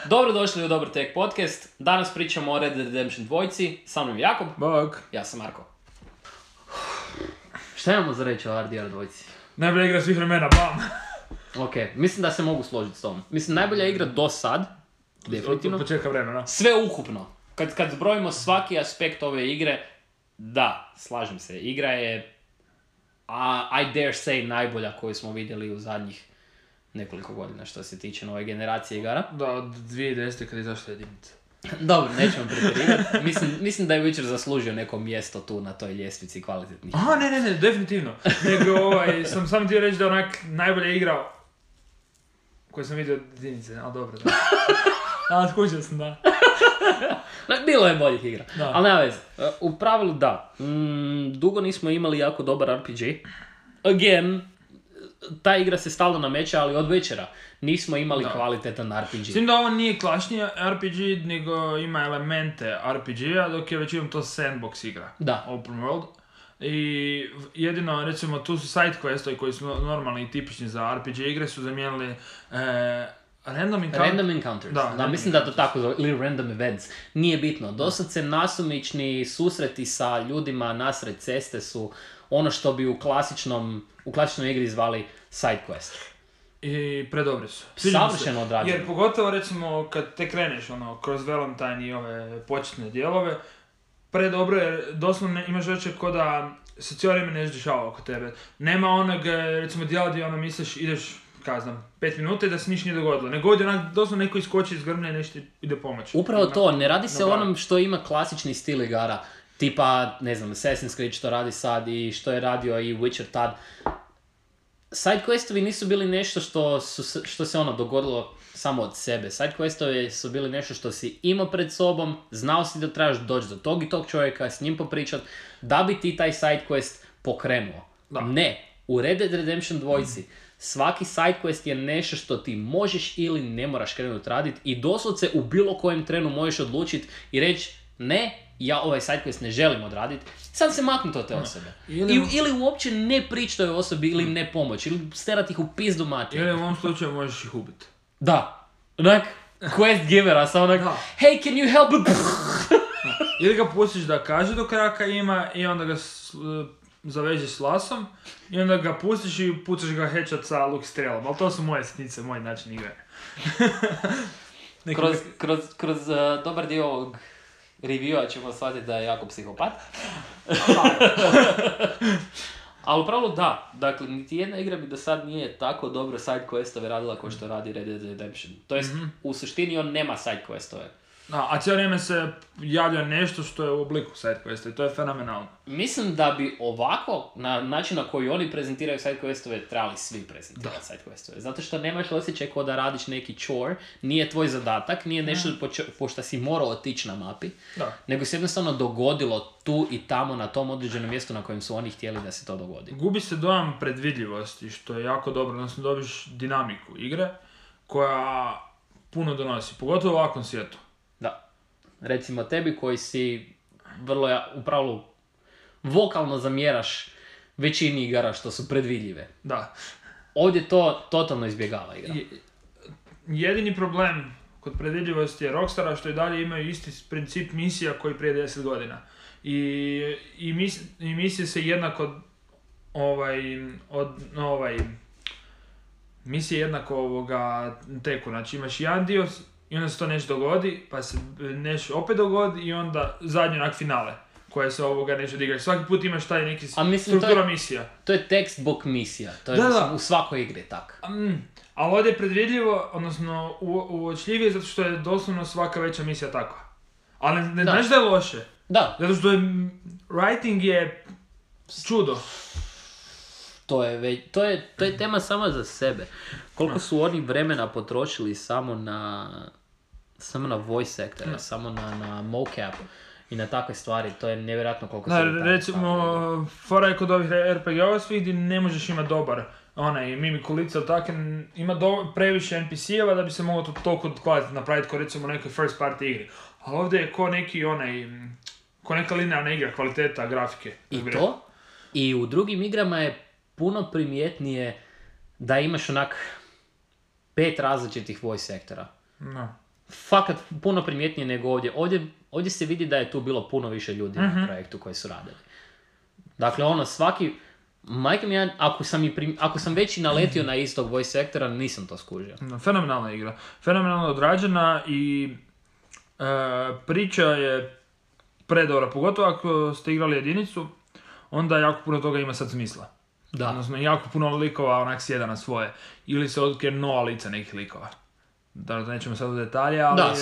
Dobrodošli u Dobar Tek podcast. Danas pričamo o Red Dead Redemption 2. Sa mnom je Jakob. Bog. Ja sam Marko. Šta imamo za reći o RDR 2? Najbolja igra svih vremena, bam! Ok, mislim da se mogu složiti s tom. Mislim, najbolja igra do sad, definitivno. Od početka vremena. Sve ukupno. Kad zbrojimo svaki aspekt ove igre, da, slažem se. Igra je, I dare say, najbolja koju smo vidjeli u zadnjih nekoliko godina što se tiče nove generacije igara. Da, od 2010. kad je izašla jedinica. Dobro, nećemo pretjerivati. Mislim da je Witcher zaslužio neko mjesto tu na toj ljestvici kvalitetnih. Aha, ne, definitivno. Nego, sam samo htio reći da onak najbolja igra koju sam vidio od jedinice, ali dobro, da. Ali skućao sam, da. Bilo je boljih igra, Da. ali nema veze. U pravilu da. Dugo nismo imali jako dobar RPG. Again, ta igra se stalno nameće, ali od večera nismo imali kvalitetan RPG. S tim da ovo nije klasični RPG, nego ima elemente RPG-a, dok je većinom to sandbox igra. Da. Open world. I jedino, recimo, tu su side questovi koji su normalni i tipični za RPG igre, su zamijenili random encounters. Da, mislim da to tako zove, ili random events. Nije bitno. Dosad se nasumični susreti sa ljudima nasred ceste su ono što bi u klasičnoj igri zvali side quest. I predobri su. Savršeno odrađeno. Jer pogotovo, recimo, kad te kreneš kroz Valentine i ove početne dijelove, predobro je, doslovno imaš osjećaj ko da se cijelo vrijeme nešto dešava oko tebe. Nema onog, recimo, dijela gdje misliš, ideš, 5 minuta i da se ništa nije dogodilo. Nego ovdje doslovno neko iskoči iz grmlja i nešto ide pomoći. Upravo to, ne radi se o onom što ima klasični stil igara. Tipa, ne znam, Assassin's Creed što radi sad i što je radio i Witcher tad. Side questovi nisu bili nešto što se dogodilo samo od sebe. Side questovi su bili nešto što si imao pred sobom, znao si da trebaš doći do tog i tog čovjeka, s njim popričat, da bi ti taj side quest pokrenuo. Da. Ne, u Red Dead Redemption 2 svaki side quest je nešto što ti možeš ili ne moraš krenuti raditi i doslovce u bilo kojem trenu možeš odlučiti i reći ne, ja ovaj sidequest ne želim odraditi, sam se maknuti od te osobe. Ili uopće ne prići toj osobi ili im ne pomoći, ili sterati ih u pizdu mati. Ili u ovom slučaju možeš ih ubiti. Da. Onak, quest givera, sam onak, hey, can you help? Ili ga pustiš da kaže dok raka ima i onda ga zavežeš s lasom i onda ga pustiš i pucaš ga headshot sa luk strelom. Ali to su moje sitnice, moj način igre. Kroz dobar dio ovog reviewa ćemo shvatiti da je jako psihopat. Ali upravo da, dakle, niti jedna igra bi do sad nije tako dobro side questove radila kao što radi Red Dead Redemption. To jest, u suštini on nema side questove. A cijelo vrijeme se javlja nešto što je u obliku side questa i to je fenomenalno. Mislim da bi ovako, na način na koji oni prezentiraju side questove, trebali svi prezentirati side questove. Zato što nemaš osjećaj kao da radiš neki chore, nije tvoj zadatak, nije nešto pošto si morao otići na mapi, nego se jednostavno dogodilo tu i tamo na tom određenom mjestu na kojem su oni htjeli da se to dogodi. Gubi se dojam predvidljivosti, što je jako dobro, odnosno dobiš dinamiku igre koja puno donosi, pogotovo u ovakvom svijetu. Da. Recimo tebi koji si vrlo, upravo vokalno zamjeraš većini igara što su predvidljive. Da. Ovdje to totalno izbjegava igra. Jedini problem kod predvidljivosti je Rockstara što i dalje imaju isti princip misija koji prije 10 godina. I misije se jednako misije jednako teku. Znači imaš jedan dio i onda se to nešto dogodi, pa se nešto opet dogodi i onda zadnji onak finale koje se nešto odigraš. Svaki put imaš taj neki struktura misija. To je textbook misija, to je u svakoj igri tako. Ali ovdje je predvidljivo, odnosno uočljivije zato što je doslovno svaka veća misija takva. Ali ne znaš da je loše. Da. Zato što writing je čudo. To je tema sama za sebe. Koliko su oni vremena potrošili samo na voice actora, samo na mocap i na takve stvari, to je nevjerojatno koliko se... Recimo, fora je kod ovih RPG-ova svih gdje ne možeš imati dobar mimik ulica ili tako, ima previše NPC-eva da bi se moglo to toliko kvalitetno napraviti kao recimo u nekoj first party igri. Ali ovdje je ko neka linearna igra, kvaliteta grafike. I to? I u drugim igrama je puno primjetnije da imaš onak 5 različitih voice actora. No. fakat puno primjetnije nego ovdje. Ovdje se vidi da je tu bilo puno više ljudi na projektu koji su radili. Dakle, ono, svaki... Majke mi, ako sam već i naletio na istog voice actora, nisam to skužio. Fenomenalna igra. Fenomenalno odrađena i priča je predobra. Pogotovo ako ste igrali jedinicu, onda jako puno toga ima sad smisla. Da. Odnosno, jako puno likova onak sjeda na svoje. Ili se otkrije nova lica nekih likova. Da, nećemo sad u detalje, ali... Da,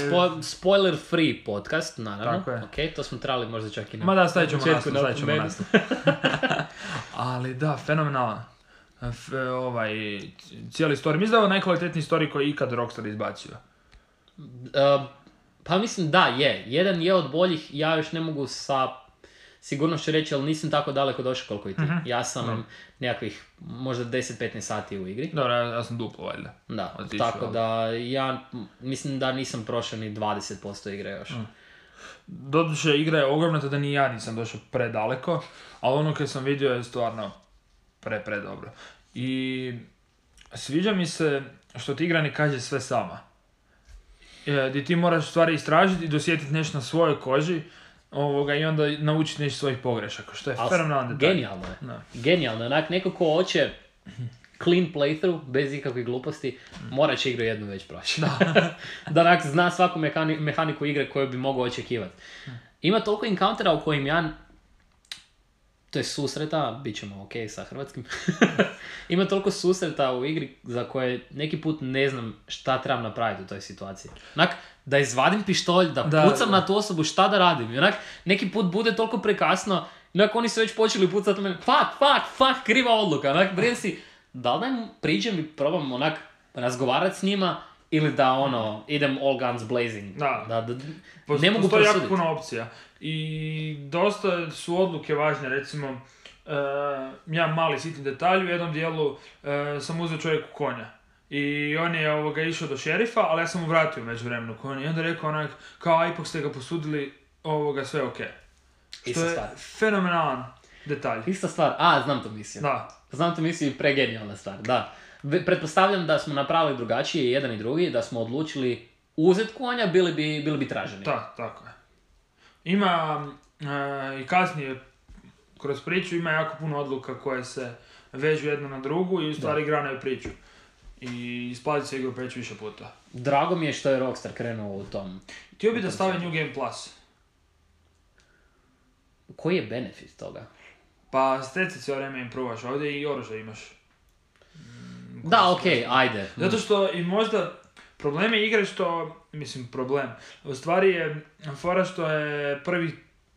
spoiler free podcast, naravno. Tako je. Ok, to smo trebali možda čak i na... Ma da, stavit ćemo početku nastup. Ali da, fenomenalan. Cijeli story. Mislim da je ovo najkvalitetniji story koji je ikad Rockstar izbacio. Pa mislim da, je. Jedan je od boljih, ja još ne mogu sa sigurnošću reći, ali nisam tako daleko došao koliko i ti. Ja sam nekakvih možda 10-15 sati u igri. Dobro, ja sam duplo valjda. Da, tako da ja mislim da nisam prošao ni 20% igre još. Doduše, igra je ogromna, tada ni ja nisam došao predaleko, ali ono kad sam vidio je stvarno predobro. I sviđa mi se što ti igra ne kaže sve sama. Gdje ti moraš stvari istražiti i dosjetiti nešto na svojoj koži, i onda naučiti nešto svojih pogrešaka, što je fenomenalan detalj. Genijalno je. No. Genijalno je. Onak, neko ko hoće clean playthrough, bez ikakvih gluposti, mora će igru jednu već proći. Da onak zna svaku mehaniku igre koju bi mogao očekivati. Ima toliko encountera u kojim ja... To je susreta, bit ćemo ok sa hrvatskim. Ima toliko susreta u igri za koje neki put ne znam šta trebam napraviti u toj situaciji. Onak, da izvadim pištolj, da pucam na tu osobu, šta da radim. I onak, neki put bude toliko prekasno, onak, oni su već počeli pucati u mene, fuck, kriva odluka. Onak, brijem si, da li da im priđem i probam onak razgovarati s njima, ili da idem all guns blazing. Da ne mogu prosuditi. Jako puno opcija. I dosta su odluke važne, recimo, ja mali sitni detalj, u jednom dijelu sam uzeo čovjeku konja. I on je išao do šerifa, ali ja sam mu vratio među vremenu konja. I onda rekao onak, kao ipak ste ga posudili, sve je okej. Što je fenomenalan detalj. Ista stvar, znam to misiju. Da. Znam to misiju i pregenijalna stvar, da. Pretpostavljam da smo napravili drugačije, jedan i drugi, da smo odlučili uzeti konja, bili bi traženi. Da, tako je. Ima i kasnije kroz priču ima jako puno odluka koje se vežu jedna na drugu i u stvari granaju priču. I isplati se igru preći više puta. Drago mi je što je Rockstar krenuo u tom. Htio bi da stave New Game Plus. Koji je benefit toga? Pa steci cijelo vrijeme im provaš, ovdje i oružje imaš. Da, okej, ajde. Zato što i možda problem je igre u stvari je fora što je prvih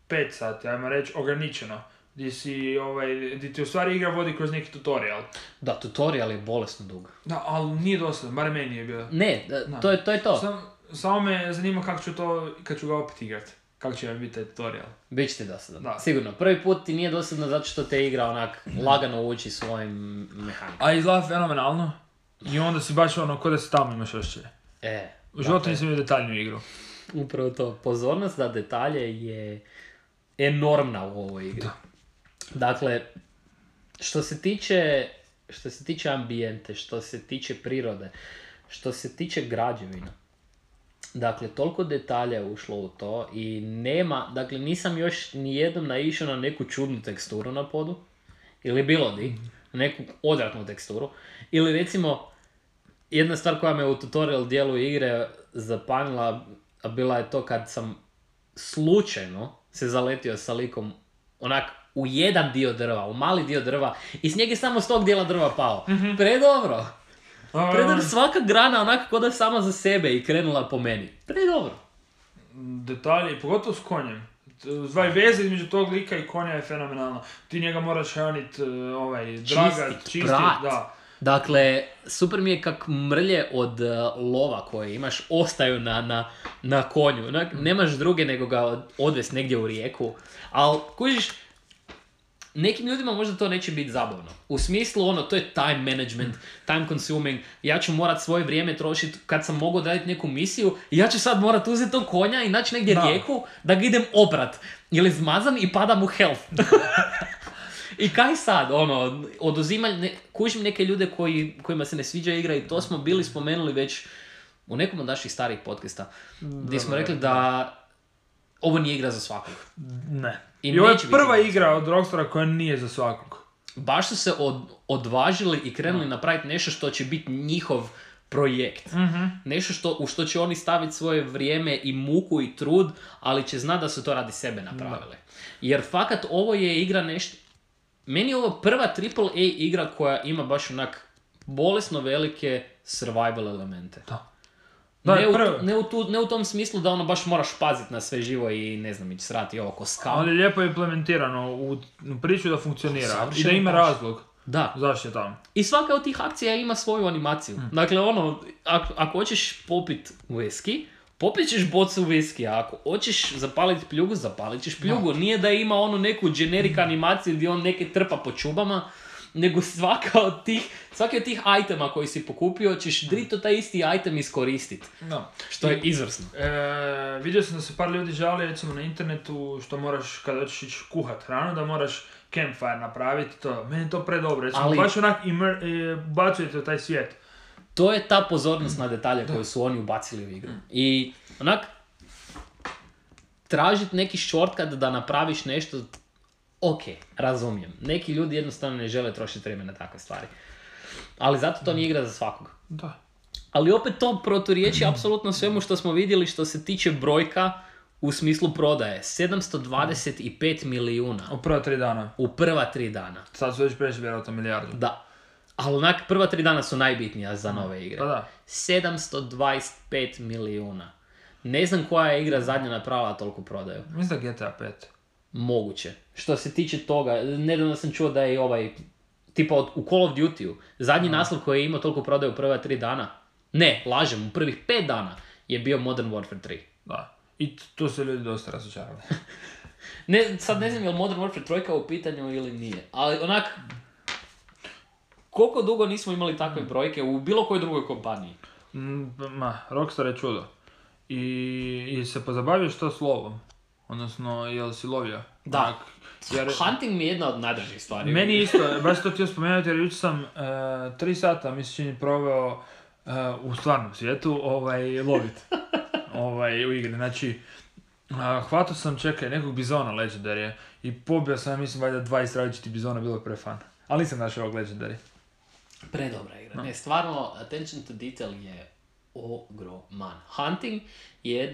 5 sati, ajmo reći, ograničeno. Gdje ti u stvari igra vodi kroz neki tutorial. Da, tutorial je bolesno dug. Da, ali nije dosadno, barem meni je bio. Ne, to je to. Samo me zanima kako ću to, kad ću ga opet igrati. Kako će vam biti taj tutorial? Biće ti dosadno, sigurno. Prvi put ti nije dosadno zato što te igra onak lagano uči svojim mehanikom. A izgleda fenomenalno. I onda si baš ko da si tamo imaš ošće. U životu nisam imao detaljnu igru. Upravo to. Pozornost za detalje je enormna u ovoj igri. Da. Dakle, što se tiče ambijente, što se tiče prirode, što se tiče građevina, dakle, toliko detalja je ušlo u to i nisam još nijednom naišao na neku čudnu teksturu na podu, ili bilo di, neku odvratnu teksturu, ili recimo, jedna stvar koja me u tutorial dijelu igre zapanila, bila je to kad sam slučajno se zaletio sa likom onak u jedan dio drva, u mali dio drva i s njega je samo s tog dijela drva pao. Predobro. Predobro, svaka grana onak k'o da je sama za sebe i krenula po meni. Predobro. Detalji, pogotovo s konjem. Veze između tog lika i konja je fenomenalno. Ti njega moraš hranit, čistit, da. Dakle, super mi je kak mrlje od lova koje imaš ostaju na konju. Nemaš druge nego ga odvesti negdje u rijeku. Ali, kužiš, nekim ljudima možda to neće biti zabavno. U smislu to je time management, time consuming. Ja ću morat svoje vrijeme trošiti kad sam mogao raditi neku misiju i ja ću sad morat uzeti tog konja i naći negdje rijeku da ga idem oprat. Ili zmazan i padam u health. I kaj sad, oduzimanje, kužim neke ljude kojima se ne sviđa igra i to smo bili spomenuli već u nekom od naših starijih podcasta, gdje smo rekli da ovo nije igra za svakog. Ne. I I ovo je neće biti prva za igra od Rockstara koja nije za svakog. Baš su se odvažili i krenuli napraviti nešto što će biti njihov projekt. Nešto u što će oni staviti svoje vrijeme i muku i trud, ali će znati da su to radi sebe napravili. Jer fakat ovo je igra nešto... Meni je ovo prva AAA igra koja ima baš onak bolesno velike survival elemente. Ne u tom smislu da ono baš moraš paziti na sve živo i ne znam, ići srati ovo ko skam. Ali lijepo je implementirano u priču da funkcionira i da ima razlog. Da. Zašto je tamo? I svaka od tih akcija ima svoju animaciju. Dakle, ono, ako hoćeš popit whisky, popit ćeš bocu whisky, a ako hoćeš zapaliti pljugu, zapalit ćeš pljugu. Nije da ima ono neku generic animaciju gdje on neke trpa po čubama, nego svaki od tih itema koji si pokupio ćeš drito taj isti item iskoristiti. No. Što je izvrsno. Vidio sam da se par ljudi žali recimo na internetu što moraš kada hoćeš ići kuhat hranu da moraš campfire napraviti to. Meni je to predobro. Recimo, baš onak bacujete u taj svijet. To je ta pozornost na detalje koju su oni ubacili u igru. I onak tražiti neki shortcut da napraviš nešto. Ok, razumijem. Neki ljudi jednostavno ne žele trošiti vrijeme na takve stvari. Ali zato to nije igra za svakog. Da. Ali opet to proturječi apsolutno svemu što smo vidjeli što se tiče brojka u smislu prodaje. 725 milijuna. U prva 3 dana. U prva 3 dana. Sad su već prešli vjerojatno milijardu. Da. Ali onak prva 3 dana su najbitnija za nove igre. Pa da. 725 milijuna. Ne znam koja je igra zadnja napravila toliko prodaju. Mislim da GTA 5. Moguće. Što se tiče toga, nedavno sam čuo da je tipa u Call of Duty-u, zadnji naslov koji je imao toliko prodaju u prva 3 dana, ne, lažem, u prvih 5 dana je bio Modern Warfare 3. Da. I tu se ljudi dosta razočarali. Sad ne znam je li Modern Warfare 3 u pitanju ili nije, ali onak, koliko dugo nismo imali takve brojke u bilo kojoj drugoj kompaniji? Rockstar je čudo. I se pozabavio što s lovom? Odnosno, jel si lovio? Da. Hunting mi je jedna od najdražih stvari. Meni isto, baš to htio spomenuti jer jučer sam 3 sata, mislim, proveo u stvarnom svijetu lovit u igri. Znači, hvatao sam, nekog bizona Legendary i pobio sam, mislim, valjda 20 različitih bizona, bilo je pre-fan. Ali nisam našao ovog Legendary. Predobra igra. Ne, stvarno, attention to detail je ogroman. Hunting je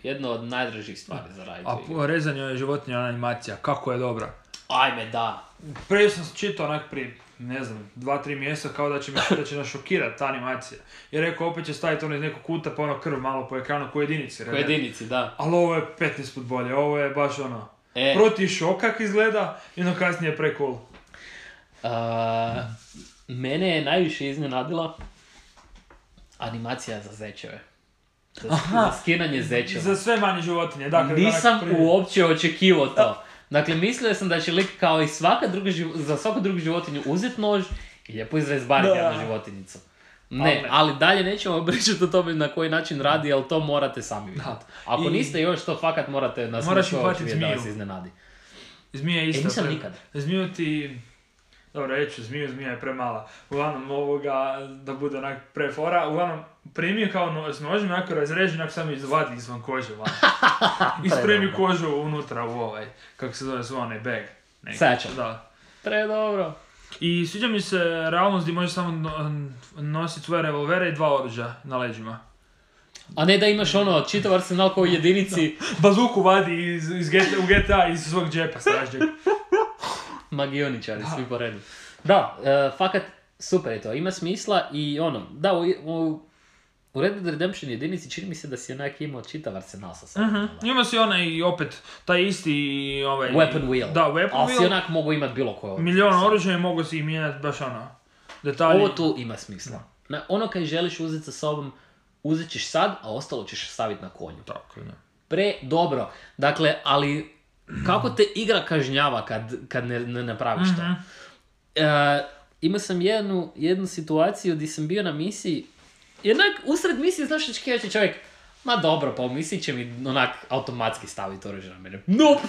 jedna od najdražih stvari za raditi. A rezanje životinja animacija, kako je dobra. Ajme, da. Prije sam čitao onak prije, ne znam, 2-3 mjeseca kao da će nas šokirati ta animacija. Jer rekao, opet će staviti ono iz nekog kuta pa ono krv malo po ekranu ko jedinici. Ko jedinici, da. Ali ovo je 15 put bolje, ovo je baš ono, proti šok kak izgleda i ono kasnije pre-cool. Mene je najviše iznenadila animacija za zečeve. Za skinanje zečeva. Za sve manje životinje. Dakle, nisam uopće očekivao to. Dakle, mislio sam da će lik kao i za svaku drugu životinju uzeti nož i lijepo izrezbariti jednu životinjicu. Ne, ali dalje nećemo pričati o tome na koji način radi, ali to morate sami vidjeti. Ako niste još to fakat morate na sve vidjeti da vas iznenadi. Zmija isto. Nisam nikad. Zmiju ti... Dobro, reću, zmija je premala. Uglavnom da bude onak prefora. Uglavnom, primio kao s nožem, ako razreži, onak sam izvadi izvan kože van. Ispremi kožu unutra u kako se zove onaj bag. Satchel. Da. Predobro. I sviđa mi se realnost gdje možeš samo nositi svoje revolvere i 2 oružja na leđima. A ne da imaš čitav arsenal kao u jedinici. Bazuku vadi u GTA iz svog džepa stražnjeg. Magioničari, svi po redu. Da, fakat super je to, ima smisla i da, u Red Dead Redemption jedinici čini mi se da si onak imao čitav arsenal sa sobom. Ima si i opet taj isti weapon wheel. Da, weapon wheel. Ali si onak mogu imat bilo koje oružje. Milion oružja i mogu si ih mijenjati baš detalji. Ovo tu ima smisla. Kaj želiš uzeti sa sobom, uzet ćeš sad, a ostalo ćeš staviti na konju. Tako, ne. Dobro. Dakle, ali kako te igra kažnjava kad ne napraviš to? Imao sam jednu situaciju gdje sam bio na misiji, jednak usred misije znaš što će čovjek, Ma dobro, pa u misiji će mi onak automatski staviti oružje na mene. Nope!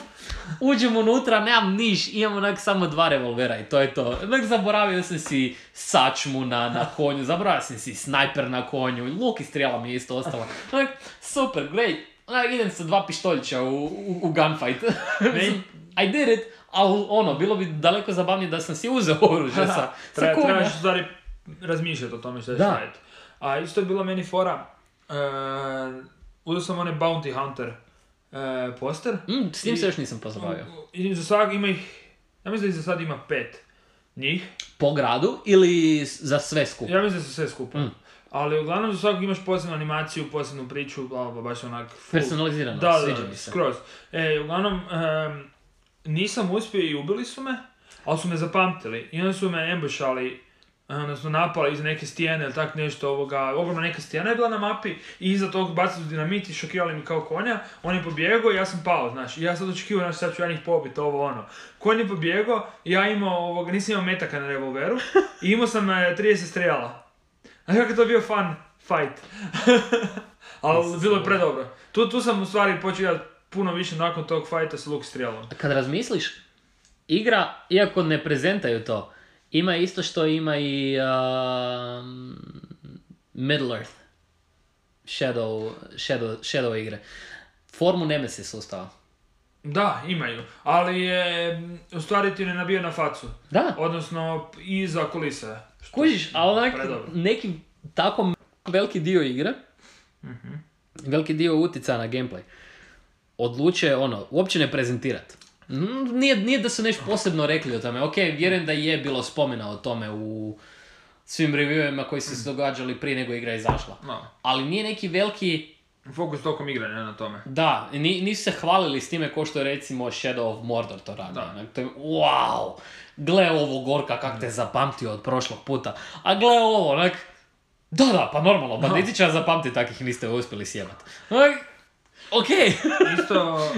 Uđem unutra, nemam niš, imam onak samo 2 revolvera i to je to. Onak zaboravio sam si sačmu na konju, zaboravio sam si snajper na konju, luk i strijela mi je isto ostala. Onak, super, great. Onak, idem sa 2 pištoljića u gunfight. I did it, ali ono, bilo bi daleko zabavnije da sam si uzeo oružje sa konja. Trebaš u stvari razmišljati o tome što ćeš raditi. A isto je bilo meni fora, uzeo sam onaj Bounty Hunter poster. S njim se još nisam pozabavio. I za svak ima ih, ja mislim da ih za sad ima 5 njih. Po gradu ili za sve skupa? Ja mislim da su sve skupa. Ali uglavnom za svakog imaš posebnu animaciju, posebnu priču, baš onak... Personalizirano, sviđa mi se. Skroz. Uglavnom, nisam uspio i ubili su me, ali su me zapamtili. I onda su me ambushali, odnosno napali iz neke stijene ili tak nešto ogromna neka stijena je bila na mapi i iza tog bacili su dinamit i šokirali mi kao konja, on je pobjegao i ja sam pao, znaš, i ja sad očekivao, znaš, sad ću ja njih pobiti, Konj je pobjegao, ja nisam imao metaka na revolveru i imao sam 30 strijela. A kako je to bio fun fight. Ali bilo je predobro. Tu sam u stvari počeo puno više nakon tog fighta s luk strijelom. Kad razmisliš, igra, iako ne prezentaju to, ima isto što ima i Middle Earth. Shadow igre. Formu Nemesis sustava. Da, imaju. Ali je, u stvari ti ne nabija na facu. Da. Odnosno, iza kulise. Kužiš, ali neki tako veliki dio igre, veliki dio utjecaja na gameplay, odluče uopće ne prezentirati. Nije da su nešto posebno rekli o tome. Ok, vjerujem da je bilo spomena o tome u svim reviewima koji su se događali prije nego igra izašla. No. Ali nije neki veliki... Fokus tokom igre, ne na tome. Da, nisu se hvalili s time ko što je recimo Shadow of Mordor to radi. To je, wow, gle ovo Gorka kak te zapamtio od prošlog puta. A gle ovo, onak... Da, pa normalno, banditi će zapamtiti takih niste uspjeli sjebati. Ok. Isto...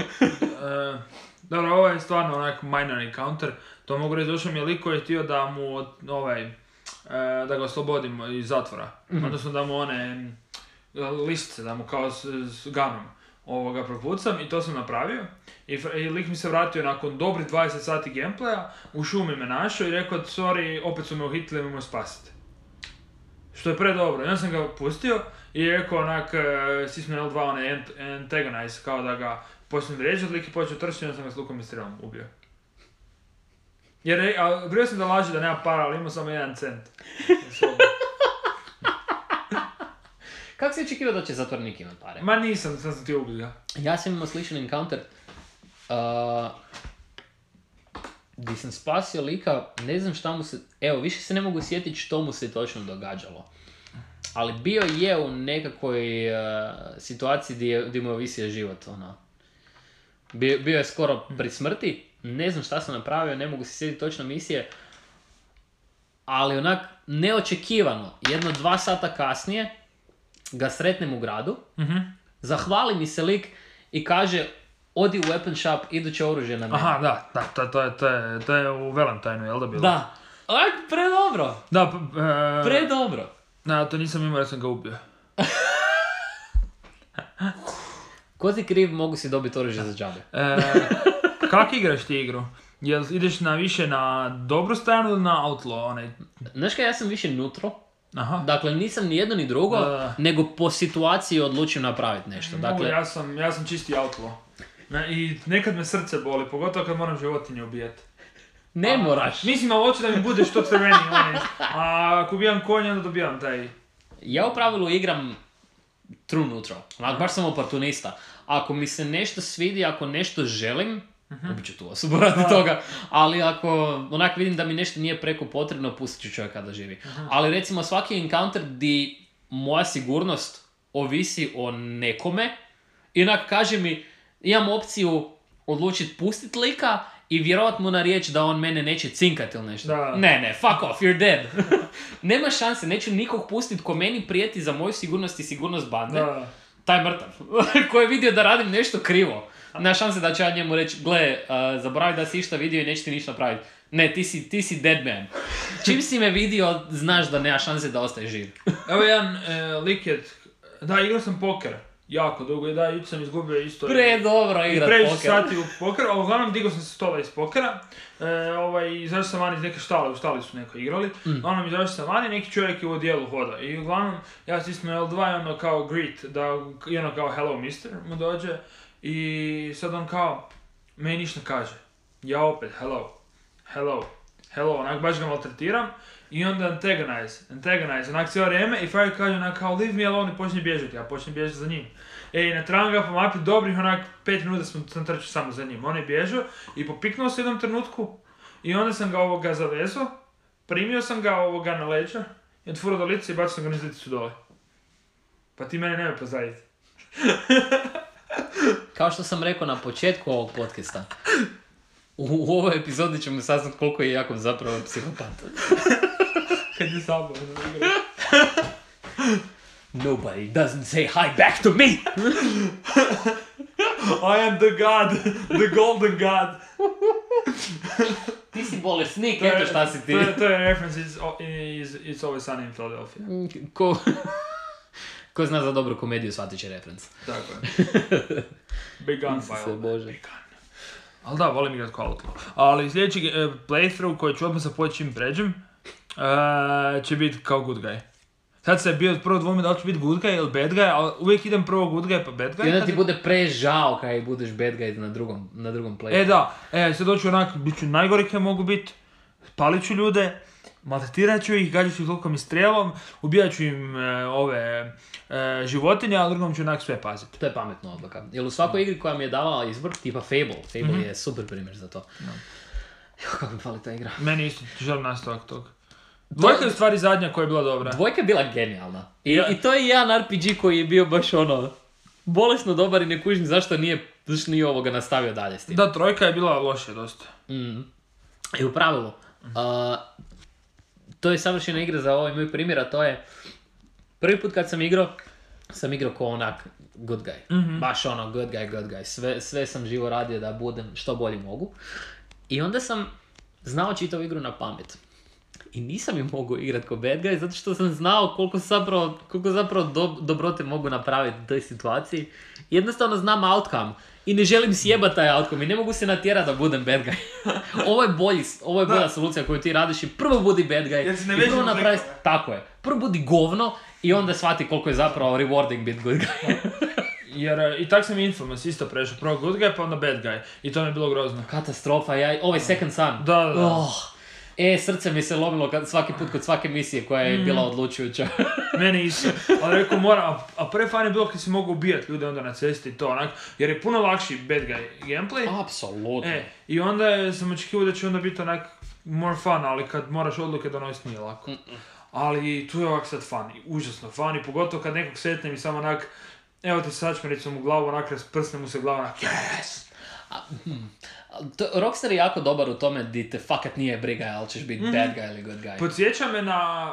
Dobro, ovo je stvarno onak minor encounter. To mogu reći, došao mi je lik koji je htio da mu da ga oslobodimo iz zatvora. Odnosno da mu one listice, da mu kao s gunom propucam i to sam napravio. I lik mi se vratio nakon dobrih 20 sati gameplaya, u šumi me našao i rekao, sorry, opet su me uhitili, imamo spasiti. Što je predobro. Ja sam ga pustio i rekao onak, sismo L2 antagonize, kao da ga počnem vrijeđati, lik je počeo trčiti, onda sam ga s lukom i strelom ubio. Jer, bio sam da laži da nema para, ali imao samo 1 cent. Kako si očekivao da će zatvornik imat pare? Ma nisam, sad sam ti ubio ga. Ja sam imao sličan encounter. Gdje sam spasio lika, ne znam šta mu se... Evo, više se ne mogu sjetiti što mu se točno događalo. Ali bio je u nekakvoj situaciji gdje mu je ovisio život, Bio je skoro pri smrti, ne znam šta sam napravio, ne mogu se sjetiti točno misije, ali onak neočekivano, 1-2 sata kasnije ga sretnem u gradu, zahvali mi se lik i kaže odi u weapon shop, iduće oružje na mene. Aha, da, to je u Valentine, jel da bilo? Da, onak predobro. Da, predobro. Da, to nisam imao jer sam ga ubio. Ko si kriv, mogu si dobiti oružje za džabe. Kak igraš ti igru? Jel ideš više na dobru stranu ili na outlaw? Znaš kaj, ja sam više neutral. Aha. Dakle, nisam ni jedno ni drugo, nego po situaciji odlučim napraviti nešto. Dakle, ja sam čisti outlaw. I nekad me srce boli, pogotovo kad moram životinje ubijati. Ne moraš. Mislim, ali hoću da mi bude što crveni. A ako ubijam konja, onda dobijam taj... Ja u pravilu igram true neutral. Baš sam oportunista. Ako mi se nešto svidi, ako nešto želim, ubit ću tu osobu radi toga. Ali ako onak vidim da mi nešto nije preko potrebno, pustit ću čovjeka da živi. Ali recimo svaki encounter di moja sigurnost ovisi o nekome, i onak kaže mi, imam opciju odlučiti pustit lika i vjerovat mu na riječ da on mene neće cinkati ili nešto. Da. Ne, fuck off, you're dead. Nema šanse, neću nikog pustit ko meni prijeti za moju sigurnost i sigurnost bande. Da. Taj mrtav, koji je vidio da radim nešto krivo. Nema šanse da ću ja njemu reći, gle, zaboravi da si išta vidio i neće ti ništa napraviti. Ne, ti si dead man. Čim si me vidio, znaš da nema šanse da ostaješ živ. Evo jedan lik je... Da, igrao sam poker. jako dugo i da, jučer sam izgubio isto. Predobro igrat previše poker. sati u poker, a uglavnom digao sam se stola iz pokera, izašao sam van iz neke štale, u štali su neko igrali, uglavnom izašao sam van i neki čovjek je u odijelu hoda i uglavnom ja stisnuo L2 i ono kao greet, i ono kao hello mister mu dođe i sad on kao, meni ništa ne kaže, ja opet hello, onak baš ga maltretiram i onda antagonize, onak cijelo vrijeme i frajer kaže onak kao leave me alone i počne bježati, ja počnem bježati za njim. I natram ga po mapi dobrih onak 5 minuta sam trčao samo za njim, on je bježao i popiknuo se u jednom trenutku i onda sam ga zavezao, primio sam ga na leđa i otvorio do lice i bacio sam ga niz liticu dole. Pa ti mene nemoj pozdraviti. Kao što sam rekao na početku ovog podcasta, u ovoj epizodi ćemo saznati koliko je Jakov zapravo psihopat. Kad je sabavno igra. Nobody doesn't say hi back to me! I am the god, the golden god. Ti si bolesnik, eto šta si ti. To je reference It's Always Sunny in Philadelphia. Ko zna za dobru komediju, shvatit će reference. Tako je. Big gun file. Bože. Big gun. Ali da, volim igrat kao Outlaw. Ali sljedeći playthrough koji ću odmah zapoći čim pređem, će biti kao good guy. Sad se bio prvo dvome da li ću biti good guy ili bad guy, ali uvijek idem prvo good guy pa bad guy. I onda ti bude prežao kada budeš bad guy na drugom playu. Da, sad doću onak, bit ću najgori kaj mogu biti, palit ću ljude, maltretirat ću ih, gađat ću ih toliko mi strijelom, ubijat ću im životinje, a drugom ću onak sve paziti. To je pametna odluka. Jer u svakoj igri koja mi je davala izbor, tipa Fable je super primjer za to. No. Kako mi fali ta igra. Meni isto želim nastavak toga. Dvojka je u stvari zadnja koja je bila dobra. Dvojka je bila genijalna. I to je jedan RPG koji je bio baš ono, bolesno dobar i ne kužim zašto nije ovoga nastavio dalje s tim. Da, trojka je bila lošija dosta. I u pravilu, to je savršena igra za ovaj moj primjer, a to je prvi put kad sam igrao ko onak good guy. Baš ono good guy. Sve sam živo radio da budem što bolje mogu. I onda sam znao čitavu igru na pamet. I nisam ju mogu igrati ko bad guy, zato što sam znao koliko zapravo dobrote mogu napraviti u toj situaciji. Jednostavno znam outcome. I ne želim sjebati taj outcome i ne mogu se natjerati da budem bad guy. Ovo je bolja solucija koju ti radiš i prvo budi bad guy. I prvo napravi, tako je. Prvo budi govno i onda shvati koliko je zapravo rewarding biti good guy. Jer i tak sam Infamous isto prešao. Prvo good guy pa onda bad guy. I to mi je bilo grozno. Katastrofa, ovaj Second Son. Da. Srce mi se lomilo svaki put kod svake misije koja je bila odlučujuća. Meni isto. Ali rekao moram, a prvi fan je bilo kad si mogu ubijati ljude onda na cesti i to onak, jer je puno lakši bad guy gameplay. Apsolutno. I onda sam očekivao da će onda biti onak more fun, ali kad moraš odluke donositi nije lako. Ali tu je ovak sad fun, užasno fun i pogotovo kad nekog setnem i samo onak, evo ti sačmericom u glavu, onak rasprsne mu se glava, onak yes! Rockstar je jako dobar u tome di te fakat nije briga, ali ćeš biti bad guy ili good guy. Podsjeća me na,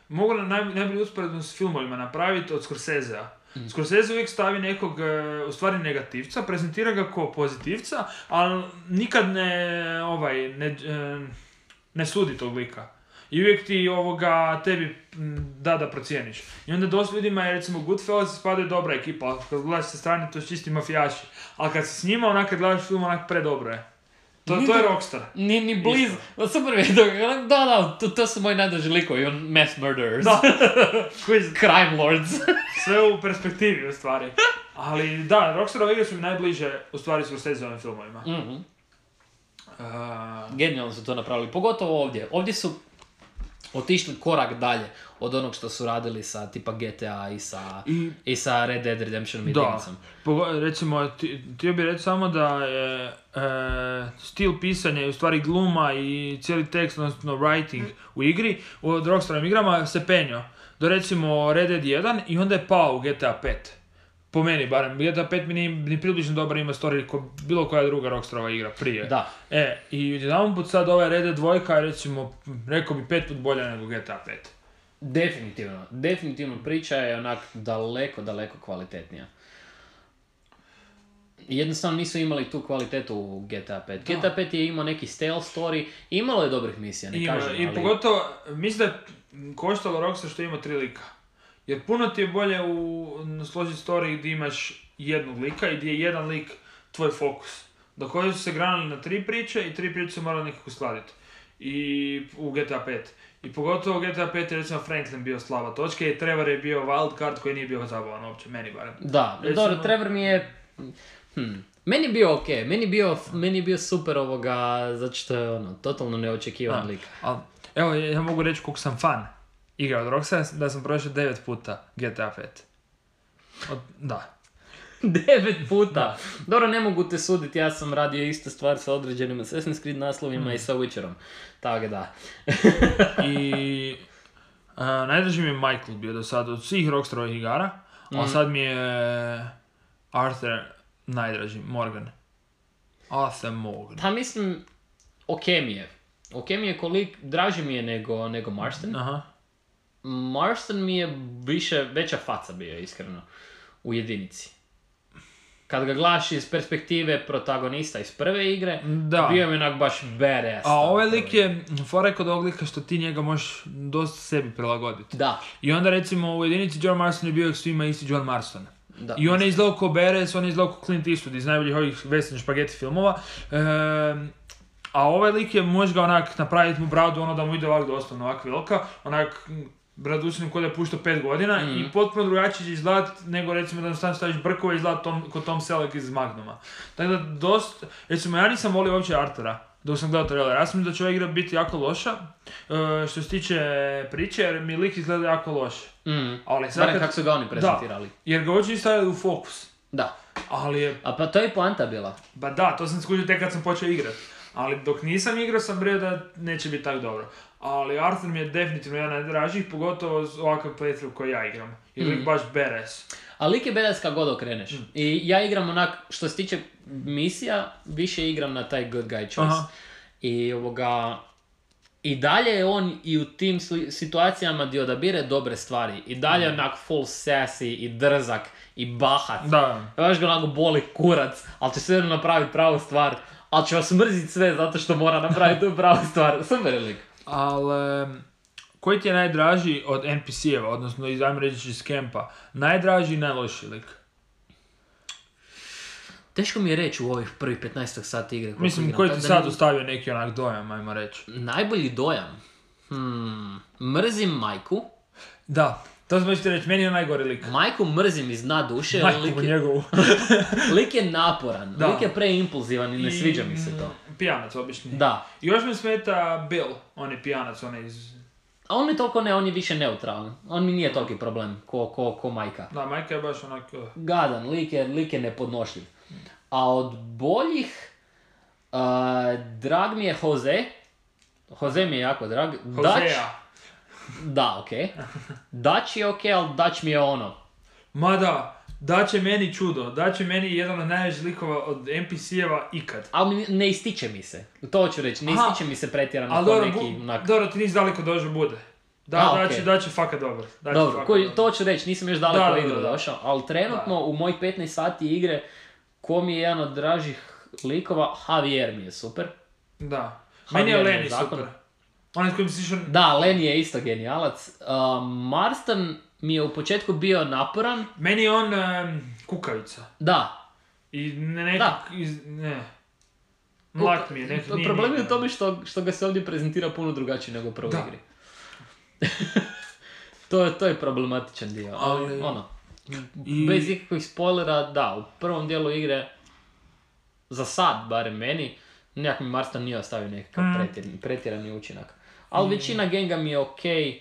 mogu najbolju usporedbu s filmovima napraviti od Scorsesea. Scorsese uvijek stavi nekog, u stvari negativca, prezentira ga kao pozitivca, ali nikad ne sudi tog lika. I uvijek ti tebi da procijeniš. I onda dosta ljudima je recimo Goodfellas spadaju dobra ekipa, ali kad gledaš sa strane to su čisti mafijaši. Ali kad si s njima, onak kad gledaš film, onak predobro je. To je Rockstar. Ni blizu. Super je. To su moji najdraži likovi, mass murderers. Da. Crime lords. Sve u perspektivi u stvari. Ali da, Rockstarove igre su mi najbliže u stvari s Scorseseovim filmovima. Genijalno su to napravili, pogotovo ovdje. Ovdje su otišli korak dalje od onog što su radili sa tipa GTA i sa Red Dead Redemptionom jedinicom. Da, recimo, htio bih reći samo da je stil pisanja i u stvari gluma i cijeli tekst, odnosno writing u igri, od Rockstarovim igrama se penio do recimo Red Dead 1 i onda je pao u GTA 5. Po meni barem, GTA 5 mi nije ni približno dobar ima story ko bilo koja druga Rockstarova igra prije. Da. I jedan put sad ovaj Red Dead 2 je recimo, rekao bi 5 put bolja nego GTA 5. Definitivno priča je onak daleko kvalitetnija. Jednostavno nisu imali tu kvalitetu u GTA 5. Da. GTA 5 je imao neki stealth story, imalo je dobrih misija, ne kažem, ali... I pogotovo, mislim da je koštalo Rockstar što ima 3 lika. Jer puno ti je bolje složiti story gdje imaš jednog lika i gdje je jedan lik tvoj fokus. Dok ovdje su se granili na 3 priče i 3 priče su morali nekako skladiti. I u GTA 5. I pogotovo u GTA 5 je recimo Franklin bio slaba točka i Trevor je bio wild card koji nije bio zabavan uopće, meni barem. Da, recimo... dobro, Trevor mi je... Meni je bio okej, meni je bio super zato što je totalno neočekivan lik. Evo, ja mogu reći koliko sam fan igra od Rockstar, da sam prošao 9 puta GTA 5. Da. 9 puta? Da. Dobro, ne mogu te suditi, ja sam radio iste stvari sa određenim Assassin's Creed naslovima i sa Witcherom. Tako da. I najdraži mi je Michael bio do sada od svih Rockstarovih igara, a sad mi je Arthur najdraži, Morgan. Arthur Morgan. Pa mislim, okej mi je kolik, draži mi je nego Marston. Aha. Marston mi je veća faca bio, iskreno, u jedinici. Kad ga gledaš iz perspektive protagonista iz prve igre, bio je onak baš badass. A ovaj lik je, fora kod ovog lika što ti njega možeš dosta sebi prilagoditi. Da. I onda recimo u jedinici John Marston je bio svima isti John Marston. Da. I on je izgledao kao badass, on je izgledao kao Clint Eastwood iz najboljih ovih western špageti filmova. A ovaj lik je, možeš ga onak napraviti mu bradu, da mu ide ovak doslovno ovak velika, onak bradućinom kod je puštao 5 godina i potpuno drugačije će izgledat nego recimo da nam staviš brkove i izgledat kod Tom Selleck iz Magnuma. Tako da dosta, recimo ja nisam volio uopće Artura dok sam gledao trailer. Ja sam da će ova igra biti jako loša što se tiče priče jer mi lik izgleda jako loše. Ali sad kako su ga oni prezentirali. Da, jer ga hoće staviti u fokus. Da. Ali je... A pa to je poanta bila. Ba da, to sam skužio tek kad sam počeo igrati. Ali dok nisam igrao sam brio da neće biti tako dobro. Ali Arthur mi je definitivno jedan najdražih, pogotovo ovakav playthrough koji ja igram. Jer lik baš badass. A lik je badass kad god okreneš. I ja igram onak, što se tiče misija, više igram na taj good guy choice. I dalje je on i u tim situacijama gdje odabire dobre stvari. I dalje je onak full sassy i drzak i bahat. Da. Baš ga onako boli kurac, ali će sve napraviti pravu stvar. Ali će vas mrziti sve zato što mora napraviti tu pravu stvar. Super je lik. Ali, koji ti je najdraži od NPC-eva, odnosno ajmo reći iz kempa? Najdraži i najlošiji lik? Teško mi je reći u ovih prvih 15 sati igre. Mislim, koji ti sad ostavio neki onak dojam, ajmo reći? Najbolji dojam? Mrzim Majku. Da, to sam ti reći, meni je najgori lik. Majku mrzim iz dna duše. Majku njegovu. Lik je naporan, da. Lik je preimpulzivan i ne sviđa mi se to. Pijanac obični. Da. I još mi smeta Bill, on je pijanac, on je iz... A on mi toliko ne, on je više neutralan. On mi nije toliki problem ko Majka. Da, Majka je baš onak... Gadan, lik je nepodnošljiv. A od boljih, drag mi je Jose. Jose mi je jako drag. Josea. Da, okej. Dutch je okej, ali Dutch mi je ono. Ma da, Dutch je meni čudo. Dutch je meni jedan od najvećih likova od NPC-eva ikad. Ali ne ističe mi se. To ću reći, ne ističe mi se pretjerano ko neki... Dobro, ti nisi daleko došao bude. Da, Dutch je fakat dobar. Dobro, to ću reći, nisam još daleko igru došao. Ali trenutno u mojih 15 sati igre, ko mi je jedan od dražih likova, Javier mi je super. Da. Meni je Lenny super. Onaj s kojim si išao... Da, Lenny je isto genijalac. Marston mi je u početku bio naporan. Meni je on kukavica. Da. I mlak mi je. Problem je u tome što ga se ovdje prezentira puno drugačije nego u prvoj igri. To je problematičan dio. Ali bez ikakvih spoilera, da, u prvom dijelu igre, za sad, barem meni, nekak mi Marston nije ostavio nekakav pretjerani učinak. Ali većina genga mi je okej.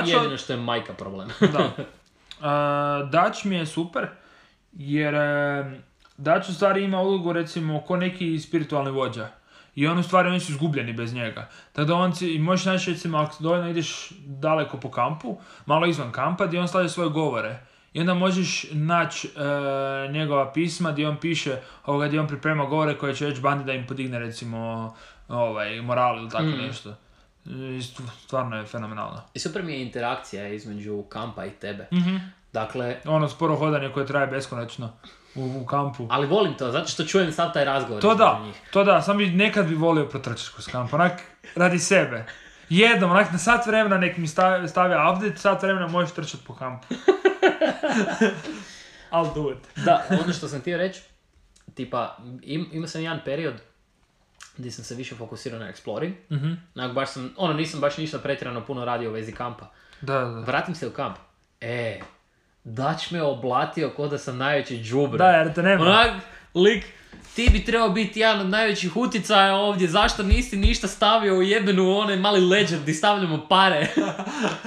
Jedino što je Majka problem. Da. Dutch mi je super, jer Dutch u stvari ima ulogu recimo ko neki spiritualni vođa. I on u stvari oni su izgubljeni bez njega. Tako da možeš naći recimo ako dovoljno ideš daleko po kampu, malo izvan kampa gdje on stavlja svoje govore. I onda možeš naći njegova pisma gdje on piše, gdje on priprema govore koje će reći bandi da im podigne recimo moral ili tako nešto. Stvarno je fenomenalno. I super mi je interakcija između kampa i tebe. Dakle... Ono sporo hodanje koje traje beskonačno u kampu. Ali volim to, zato što čujem sad taj razgovor. To da, sam nekad bi volio protrčati kroz kamp, onak radi sebe. Jednom, onak na sat vremena nek mi stavlja update, sat vremena možeš trčati po kampu. I'll do it. Da, ono što sam htio reći, tipa, imao sam jedan period gdje sam se više fokusirao na exploring. Baš sam, nisam baš ništa pretjerano puno radio u vezi kampa. Da. Vratim se u kamp. Dač me oblatio ko da sam najveći džubre. Da, jer te nema. Onak, lik, ti bi trebao biti jedan od najvećih uticaja ovdje, zašto nisi ništa stavio u jebenu onaj mali ledger gdje stavljamo pare?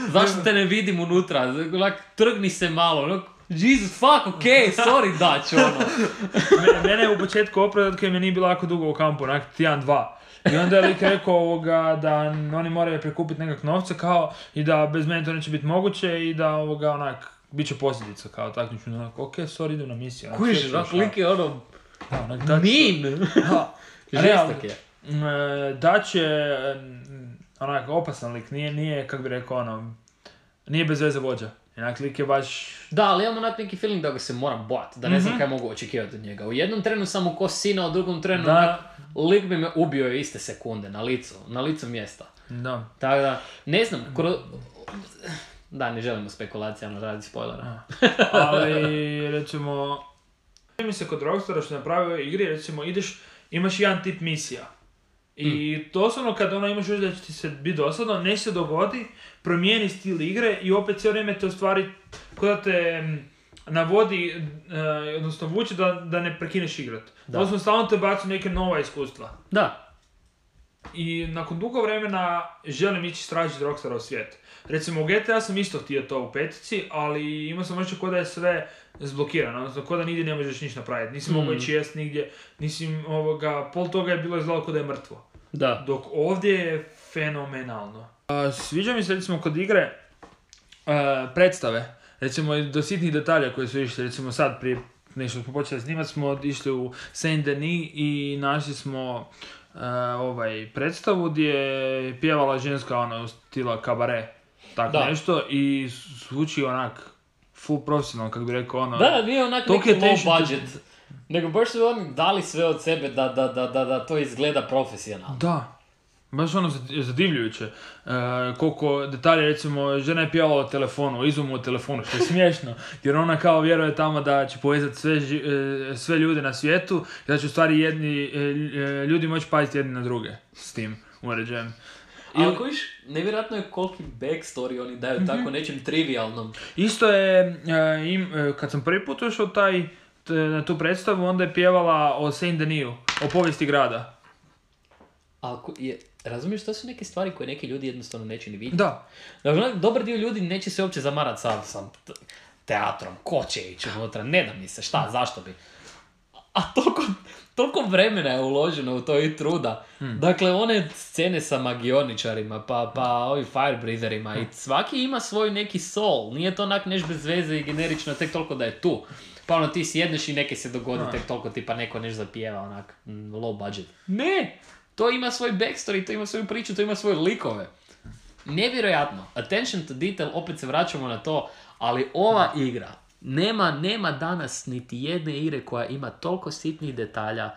Zašto te ne vidim unutra? Onak, trgni se malo, onak, Jesus fuck, okej, sorry Dač, ono. Mene je u početku opravdat kad mi nije bilo jako dugo u kampu, onak tjedan, dva. I onda je lik rekao da oni moraju prikupiti nekak novce kao i da bez mene to neće biti moguće i da onak, bit će posljedica kao takmiču. Onak, okej, sorry, idem na misiju. Kužiš, lik je ono, mean. žestok je. Dač je onak opasan lik, nije kako bi rekao ono, nije bez veze vođa. Onak lik je baš... Da, ali imam onak neki feeling da ga se moram bojati, da ne znam kaj mogu očekivati od njega. U jednom trenu sam mu ko sina, u drugom trenu onak, lik bi me ubio iste sekunde, na licu mjesta. Da. Tako da, ne znam, da, ne želimo spekulacijama raditi spoilera. Ali, recimo, mi se kod Rockstara što napravio igri, recimo, imaš jedan tip misija. I doslovno kad imaš još da će ti se biti dosadno, ne se dogodi, promijeni stil igre i opet cijelo vrijeme te u stvari kod da te navodi, odnosno vuče da ne prekineš igrat. Doslovno stalno te baci neke nova iskustva. Da. I nakon dugo vremena želim ići istražiti Rockstara u svijet. Recimo u GTA sam isto htio to u petici, ali imao sam očeo kod da je sve zblokirano, odnosno kod da nigdje ne možeš ništa napraviti. Nisi mogao ići jest nigdje, pol toga je bilo izgledalo kod da je mrtvo. Da. Dok ovdje je fenomenalno. Sviđa mi se recimo kod igre predstave, recimo do sitnih detalja koje su išli, recimo sad prije nešto smo počeli snimati, smo išli u Saint-Denis i našli smo predstavu gdje je pjevala ženska u stila kabare, tako nešto, i zvuči onak full profesionalno, kako bi rekao Da, nije onak neki low budget, nego baš su oni dali sve od sebe da to izgleda profesionalno. Da. Baš zadivljujuće. Koliko detalje, recimo, žena je pjevala o telefonu, izumu o telefonu, što je smiješno, jer ona kao vjeruje tamo da će povezati sve ljude na svijetu i da će u stvari ljudi moći paziti jedni na druge s tim uređajem. Ali kojiš, nevjerojatno je koliki backstory oni daju tako nečem trivialnom. Isto je, kad sam prvi put ušao na tu predstavu, onda je pjevala o Saint-Denisu, o povijesti grada. Razumiješ, to su neke stvari koje neki ljudi jednostavno neće ni vidjeti. Da. Dakle, dobar dio ljudi neće se uopće zamarati sa teatrom, ko će ići unutra, ne da mi se, šta, zašto bi. A toliko vremena je uloženo u to i truda. Dakle, one scene sa magioničarima, pa ovi firebreatherima, i svaki ima svoj neki soul. Nije to onak neš bez veze i generično tek toliko da je tu. Pa ti sjedneš i neke se dogodi tek toliko tipa neko neš zapijeva onak low budget. Ne! To ima svoj backstory, to ima svoju priču, to ima svoje likove. Nevjerojatno. Attention to detail, opet se vraćamo na to, ali ova igra, nema danas niti jedne igre koja ima toliko sitnih detalja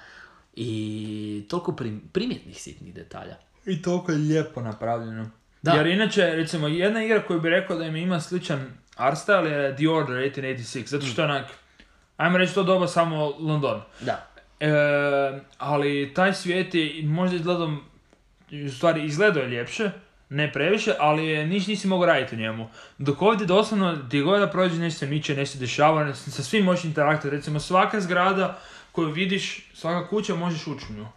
i toliko primjetnih sitnih detalja. I toliko je lijepo napravljeno. Da. Jer inače, recimo, jedna igra koju bi rekao da im ima sličan art style je The Order 1886, zato što je onak, ajmo reći to doba samo London. Da. Ali taj svijet je možda izgledao je ljepše, ne previše, ali nisi mogao raditi u njemu. Dok ovdje doslovno, gdje god da prođe, nešto se miče, nešto se dešava, sa svim možeš interaktivati. Recimo svaka zgrada koju vidiš, svaka kuća možeš ući u nju.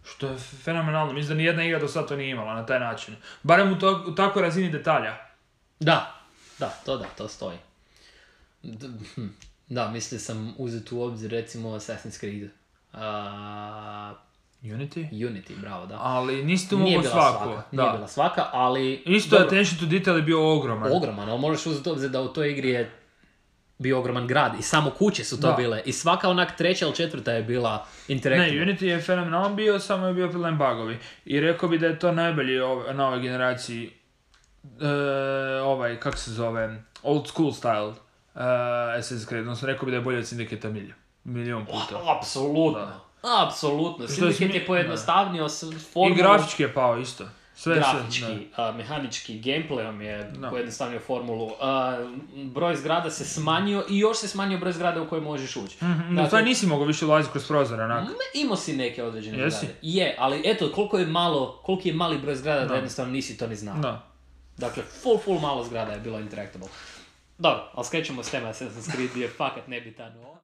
Što je fenomenalno. Mislim da nijedna igra do sada to nije imala na taj način. Barem u takvoj razini detalja. Da, to stoji. Da, mislio sam uzeti u obzir recimo Assassin's Creed. Unity, bravo, da. Ali nisi tu mogao svaku. Nije bila svaka, ali... Isto attention to detail je bio ogroman. Ogroman, ali možeš uzeti obzir da u toj igri je bio ogroman grad i samo kuće su to bile. I svaka onak treća ili četvrta je bila interaktivna. Ne, Unity je fenomenalan bio, samo je bio problem bugovi. I rekao bi da je to najbolji na ovoj generaciji kako se zove, old school style Assassin's Creed. Odnosno rekao bi da je bolje od Syndicate milion puta. Apsolutno. Apsolutno. Syndicate je pojednostavnio formu. I grafički je pao isto. grafički, mehanički, gameplayom je pojednostavnio formulu. Broj zgrada se smanjio i još se smanjio broj zgrada u koje možeš ući. Dakle, to nisi mogao više ulaziti kroz prozor, onak. Imao si neke određene zgrade. Je, ali eto, koliki je mali broj zgrada da jednostavno nisi to ni znao. Da. Dakle, full malo zgrada je bilo interactable. Dobro, ali skrećemo s tema Assassin's Creed je fakat nebitan.